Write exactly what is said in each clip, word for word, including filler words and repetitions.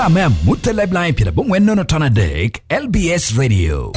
me Amutta Lifeline pyerabongwen nono ton adek, L B S Radio.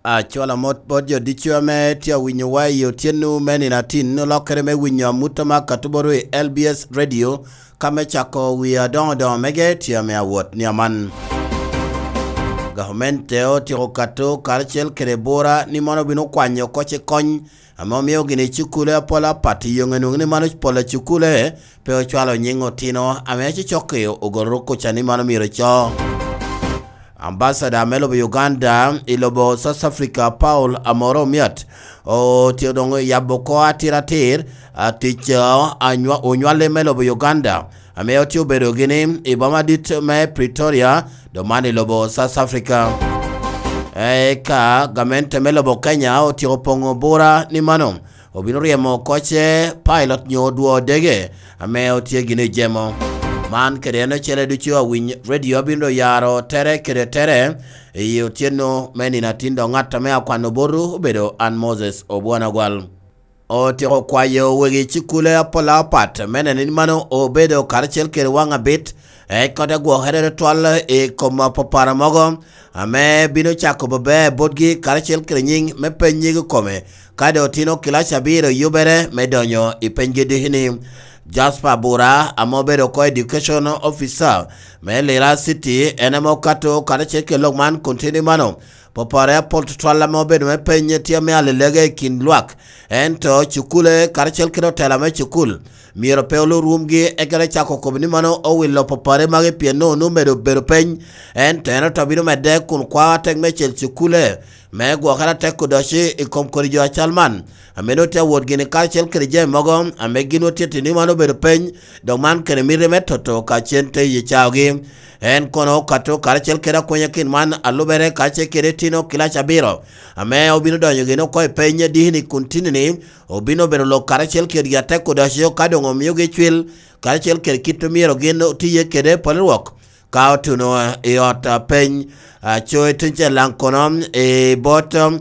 Acwalo amot bot jo ducu ame tye awinyowa i otyeno me nino atin, olokere me winyo amutta me akatuboru i L B S Radio, ka me cako wi adoŋo doŋo mege tye ame awot ni aman. Gavamente otyeko kato karacel kede bura ni mono obino kwanyo koc i kony ame omio gini cukule apol apat i yoŋe nwoŋo ni mano pol a cukule pe ocwalo nyiŋ otino ame acecokki ogoro kuca ni mano myero co. Ambasada me lobo Uganda i lobo South Africa, Paul Amoro Omiat, otye doŋ yabo oko atir atir, a, tic, a, anywa-, onywale me lobo Uganda, ame otye obedo gini i boma dit me Pretoria, doŋ man i lobo South Africa. Eka gamente me lobo Kenya otyeko poŋo bura ni mano obino ryemo koce pilot nyo odwo dege ame otye gini jemo. Man kede en ocele ducu awiny radio abino doŋ yaro tere kede tere i otyeno me nino atin, doŋ ŋat ame akwano botu obedo an Moses Obwon Agwal. Otyeko kwayo wegi cukule apol apat me neno ni mano obedo karacel kede waŋ abit, eka te gwokere tutwal i kom apapara mogo ame bino cako bebe botgi karacel kede nyiŋ me penygi kome, ka doŋ otino kilac abiro yubere me donyo i penygi diki-ni. Jasper Bura, ame obedo oko Education Officer me Lira City, en ame okato karacel kede lok man kun tye ni mano, popore apol tutwal ame obedo me peny tye ame alelege i kin lwak, ento cukule karacel kede otela me cukul myero pe olu rumgi, eka te cako kobo ni mano owilo popore magi pien onwoŋo omedo bedo peny, ento en oto bino medde kun kwao atek meicel cukule me gwokere atek odoci i kom kodi jo acal man, ame nwoŋo tye awot gini karacel kede jami mogo ame gin otye tye ni mano obedo peny, dok man kede miti me toto ka cen te ye caogi. En kono okato karacel kede akwenya kin man a lubere karacel kede itino kilac abiro, ame obino donyo gini oko i peny diki-ni kun tini-ni obino bedo lok karacel kedgi atek odoco ka doŋ omiogi cwil karacel kede kit omyero gin otiye kede pol rwok ka otuno i ot, a, peny. Aco i tuŋ cel daŋ kono i bot, um,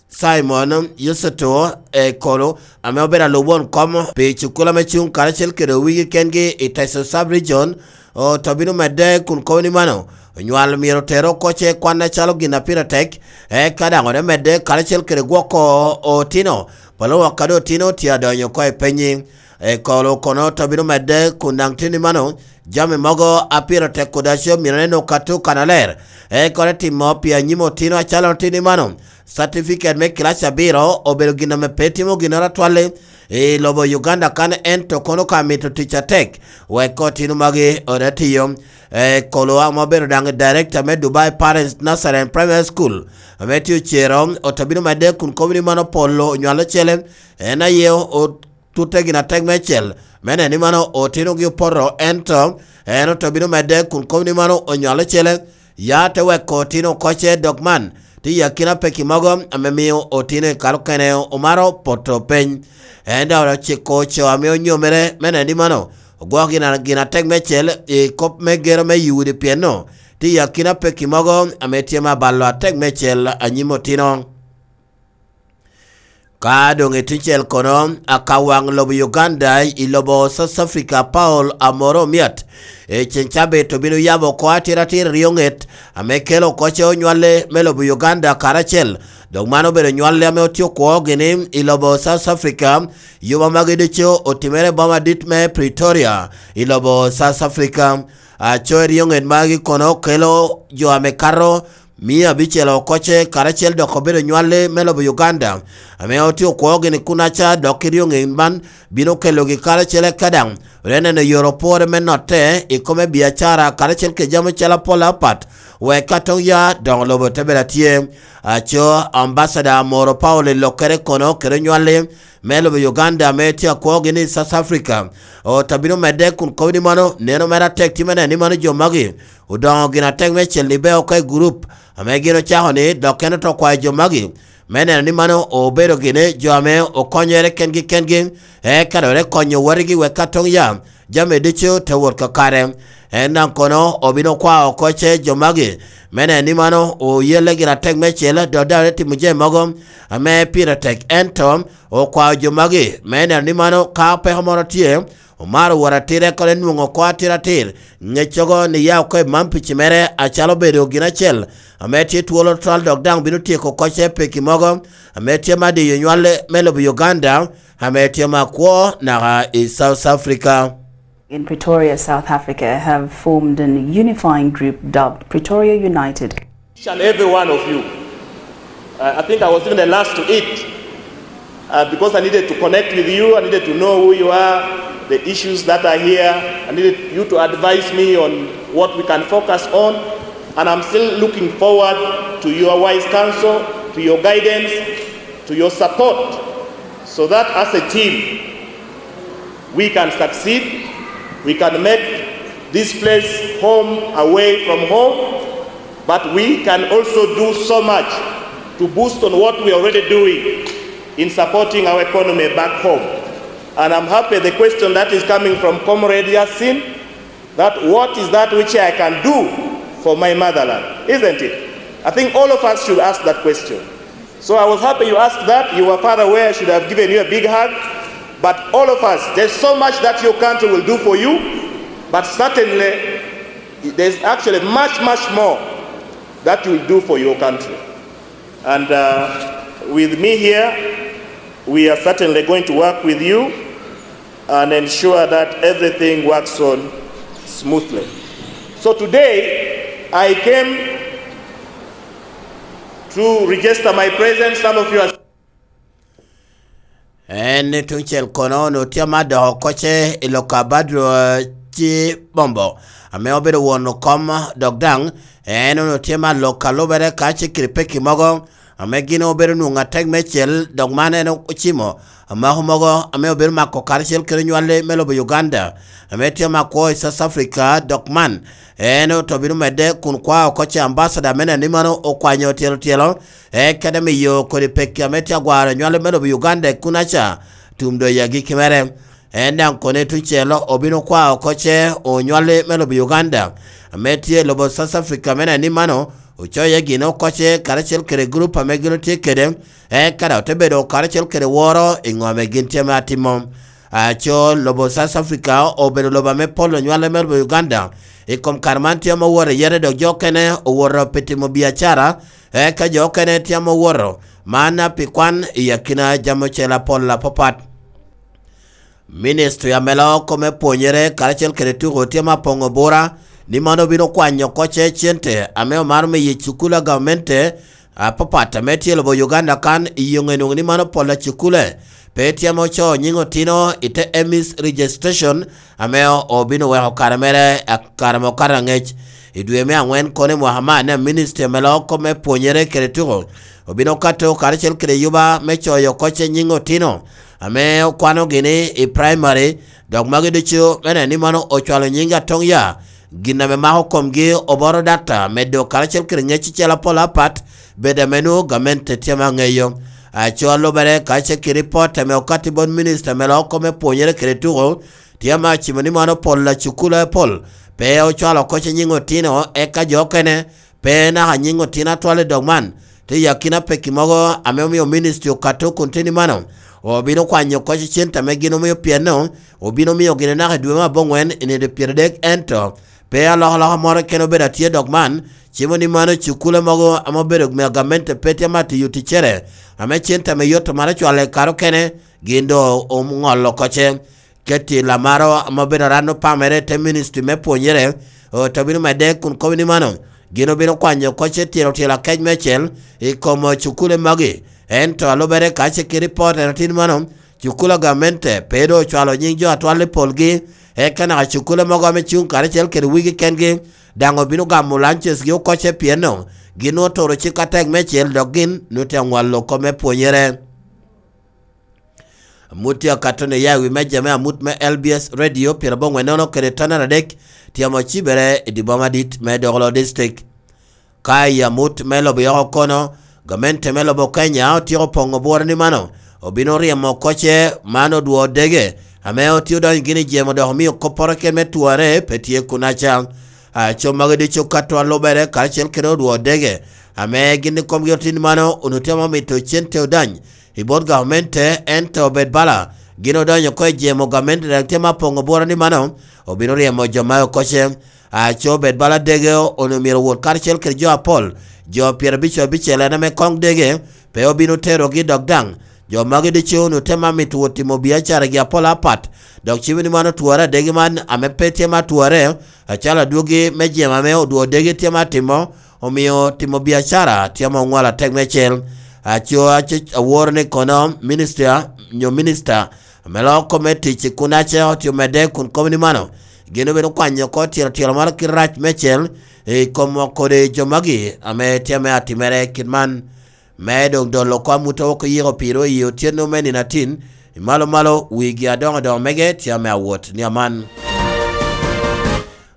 Simon Yuceto Ekolo, ame obedo alub won kom pi cukul ame cuŋ karacel kede owigi kengi i Teso Sub Region, oto bino medde kun kobo ni mano, onywal myero oter oko ce kwan acalo gin a pire tek, eka daŋ ote medde karacel kede gwoko otino, polo wok kadi otino tye adonyo oko i penyi. Ekolo kono oto bino medde kun daŋ tye ni mano, jami mogo a pire tek kodi aco myero nen okato kanaler, eka ote timo pi anyim otino acalo tye ni mano. Certificate me kilac abiro obedo gin ame pe timo ginnoro atwal i lobo Uganda kan, ento kono ka mito tic atek wek otino magi ote tiyo. Eh, Kolo ame obedo daŋ director me Dubai Parents Nursery and Primary School, ame tye ocero, oto bino medde kun kobo ni mano polo onywalo cele, en aye o-, otutte gin atek meicel, me neno ni mano otinogi opoto, ento en oto bino medde kun kobo ni mano onywalo cele, ya te weko otino oko ce, dok man tye i akina peki mogo ame mio otino i kare okene omaro poto peny. En daŋ ociko co ame onyomere me neno ni mano ogwoko gin, gin atek meicel i kop me gero me i udi, pien no tye i akina peki mogo ame tye me abalo atek meicel anyim otino. Ka doŋ i tuŋ cel kono, akawaŋ lobo Uganda i lobo South Africa, Paul Amoro Omiat, i ceŋ cabit obino yabo oko atiratir ryo ŋet ame kelo oko ce onywale me lobo Uganda karacel. Dok man obedo nywale ame otye okwo gini i lobo South Africa. Yuba magi ducu otimere i boma dit me Pretoria i lobo South Africa. Aco i ryo ŋet magi kono kelo jo ame kato mia abicel oko ce karacel dok obedo nywale me lobo Uganda, ame otye okwo gini kunaca, dok i ryo ŋet man bino kelogi karacel eka daŋ ote neno yore opore me notte i kome biacara karacel kede jami ocele apol apat, wek ka toŋ ya doŋ lobo te bedo atye. Aco Ambassador Moro Paul i lokkere kono kede onywale me lobo Uganda ame tye akwogi ni South Africa, ot abino medde kun kobo ni mano neno mere atek tye me neno ni mano jo magi odoŋo gin atek me cel ni beo oko i gurup ame gin ocako ni, dok en oto kwayo jo magi me neno ni mano obedo gini jo ame okonyere kengi kengi, eka dok te konyo wotigi wek ka toŋ ya jami ducu te wot kakare. En daŋ kono obino kwao oko ce jo magi me neno ni mano oyelle gin atek meicel, dok daŋ te timo jami mogo ame pire tek. Ento okwao jo magi me neno ni mano ka peko moro tye, Omaro wot atira kore nwoŋo oko atiratir ŋeccogo ni ya oko i man pici mere acalo bedo gin acel ame tye twolo twal dok daŋ bino tyeko kocce peki mogo ame tye ma diyo nywal me lobo Uganda ame tye ma kwo naka i South Africa. In Pretoria, South Africa, have formed an unifying group dubbed Pretoria United. Each and every one of you. Uh, I think I was even the last to eat uh, because I needed to connect with you. I needed to know who you are, the issues that are here. I needed you to advise me on what we can focus on. And I'm still looking forward to your wise counsel, to your guidance, to your support, so that as a team, we can succeed, we can make this place home away from home, but we can also do so much to boost on what we are already doing in supporting our economy back home. And I'm happy the question that is coming from Comrade Yasin, that what is that which I can do for my motherland, isn't it? I think all of us should ask that question. So I was happy you asked that. You were far away. I should have given you a big hug. But all of us, there's so much that your country will do for you. But certainly, there's actually much, much more that you will do for your country. And uh, with me here, we are certainly going to work with you and ensure that everything works on smoothly. So today, I came to register my presence. Some of you are En ni tuŋ cel kono onwoŋo tye ama doko kocce i lok a Badru ci Bombo ame obedo won okom dok daŋ en onwoŋo tye ma lok a lubere ka ce kede pekki mogo ame gin obedo nwoŋo atek meicel dok man en ocimo amako mogo ame obedo mako karacel kede nywalli me lobo Uganda ame tye ma kwo i South Africa dok man en oto bino medde kun kwao kocce ambasada me neni mano okwanyo tyelo tyelo e kede miyo kodi pekki ame tye agwaro nywale me lobo Uganda i kunaca tum doyo agikki mere. En daŋ kone tuŋ celo obino kwao oko ce onywale me lobo Uganda ame tye i lobo South Africa me neni mano ocoye gin oko ce karacel kede gurup ame gin otye kede eka daŋ ote bedo karacel kede woro i ŋo ame gin tye me atimo. Aco lobo South Africa obedo lobo ame pol onywale me lobo Uganda i kom kare man tye ame owoto iye dok jo okene owoto pi timo biacara eka jo okene tye ame owoto man pi kwan i akina jami ocel apol apapat. Ministri ame loo kome pwonyere karacel kede tuko tye ma poŋo bura ni man obino kwanyo kocce cente ame omaro miyo i cukul a gamente apapat ame tye i lobo Uganda kan i yoŋe nwoŋo ni man opol a cukule pe tye ame ocoo nyiŋ otino i te emis registration ame obino weko kare mere kare ame okato aŋec. I dwe me aŋwen kono i mwaka man a ministri ame loo kop me pwonyere kede tuko obino kato karacel kede yuba me coyo kocce nyiŋ otino ame okwanogi ni i praimari dok magi ducu me neno ni mano ocwalo nyiŋ atoŋ ya gin ame mako komgi oboro data medo karacel kede ŋec acel apol apat bedo ame nwoŋo gamente tye ma ŋeyo. Aco alubere ka ce ki ripot ame okatti bot minista me loko me pwonyere kede tuko tye ame acimo ni man opol acukulu apol pe ocwalo oko ce nyiŋ otino eka jo okene pe naka nyiŋ otino atwal i dog man te yakina pekki mogo ame omio ministri okato kun teni mano obino kwanyo oko ce cente ame gin omio pienno obino mio gine naka i dwe me aboŋwen i nino pyeradek ento pe alokaloka moro kene obedo atye dok man cimo ni mano cukule mogo ame obedo me gamente pe tye ma tiyo ticcere ame cente ame yot omaro cwale kare okene gin do oŋolo koce keti lamaro ame obedo aran opamere te ministri me pwonyere ote bino medde kun kobo ni mano gin obino kwanyo koce tyero tyelo akec me acel i kom cukule magi ento alubere ka ce ki ripot en atin mano cukula gamente pe do ocwalo nying jo atwal i polgi eka naka cukula mogo ame cuŋ karacel kede wigi kengi daŋ obino gamo lunches gi okoce pienno gin otoro cik atek me cel dok gin nute ŋwalo kop me pwonyere. Amut tye akato ni ya i wi meja me amut me L B S radio pyeradek kede tonere adek tye amo cibere i dye boma dit me Dokolo District. Ka i amut me lobo yoko kono, gamente me lobo Kenya otyeko poŋo bworo ni mano obino ryemo koce man odwo dege ame otye odonyo gini jemo dok omio kopporo ken me twarre pe tye kunaca. Aco magi ducu ka twa lubere karacel kede odwo dege ame gin ikomgi otin mano onutemo mito cente odany i bot gamente ento obed bala Gin odonyo oko i jemo gamente daŋ tye ma poŋo bworo ni mano obino ryemo jo ma okoce. Aco bed bala dege onwoŋo myero owot karacel kede jo apol, jo pyerabic abicel en ame koŋ dege, pe obino terogi dok daŋ. Jo magi ducu onwoŋo tye ma mito wot timo biacaragi apol apat, dok cibo ni man otwore adege man ame pe tye ma twore, acalo adwogi me jemo ame odwo dege tye ma timo, omio timo biacara tye ma oŋwalo atek mecel. Aco aco aworo ni kono minister nyo minista ame loko kop me tic i kunaca otye omedde kun kobo ni mano, gin obino kwanyo oko tyelo tyelo moro kit rac mecel i kom kodi jo magi ame tye ame atimere kit man. Me doŋ dolo oko amut oko yiko piro i otyeno me nino atin, i malo malo wigi adoŋo doŋo mege tye ame awot ni aman.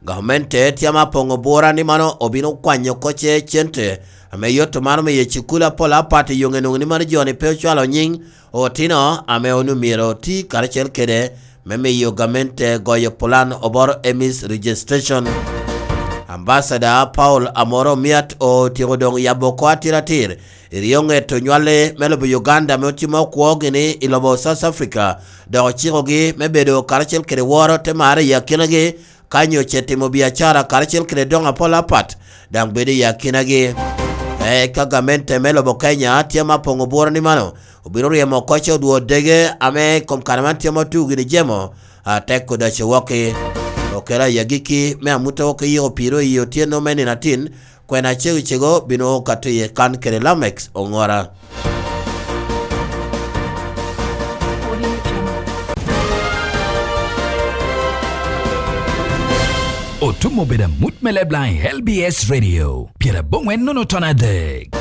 Gamente tye ame apoŋo bura ni mano obino kwanyo oko ce cente ame yot mano me ye cukul apol apat i yoŋe nwoŋo ni mano joni pe ocwalo nyiŋ otino ame onwoŋo myero oti karacel kede me miyo gamente goyo pulan oboro emis registration. Ambassador Paul Amoro Miat otyeko doŋ yabo oko atiratir i ryo ŋet onywale me lobo Uganda ame otimo kwogi ni i lobo South Africa, dok ocikogi me bedo karacel kede woro te marre i akinagi, ka nyo ce timo biacara karacel kede doŋ apol apat, daŋ bedo i akinagi. Eka gamente me lobo Kenya tye ma poŋo bworo ni mano obino ryemo oko ce odwo dege ame i kom kare man tye ma otugo gini jemo atek odaco wokki. Okelo ayagiki me amut oko yiko piro i otyeno me nino atin, kwena cego cego bino kato iye kan kede Lamex Oŋora. Otum obedo amut me Leblang i L B S Radio, pyeraboŋwen nono ton adek.